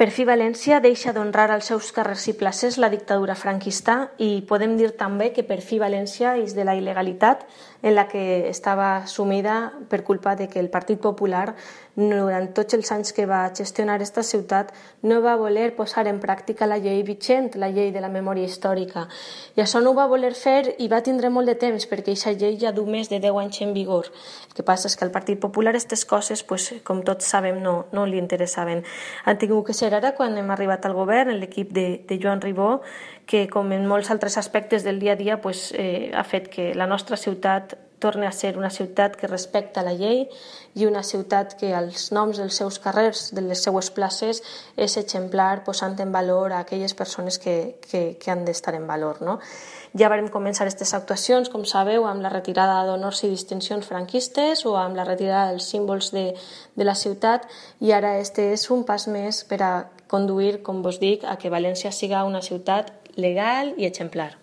Per fi València deixa d'honrar als seus carrers i places la dictadura franquista i podem dir també que per fi València és de la il·legalitat en la que estava sumida per culpa de que el Partit Popular durant tots els anys que va gestionar aquesta ciutat no va voler posar en pràctica la llei vigent, la llei de la memòria històrica. I això no ho va voler fer i va tindre molt de temps perquè aquesta llei ja du més de 10 anys en vigor. El que passa és que al Partit Popular aquestes coses, com tots sabem, no li interessaven. Han tingut que ser ara quan hem arribat al govern, l'equip de Joan Ribó, que com en molts altres aspectes del dia a dia ha fet que la nostra ciutat torni a ser una ciutat que respecta la llei i una ciutat que els noms dels seus carrers, de les seues places, és exemplar posant en valor a aquelles persones que han d'estar en valor, no? Ja vam començar aquestes actuacions, com sabeu, amb la retirada d'honors i distincions franquistes o amb la retirada dels símbols de la ciutat, i ara este és un pas més per a conduir, com vos dic, a que València siga una ciutat legal i exemplar.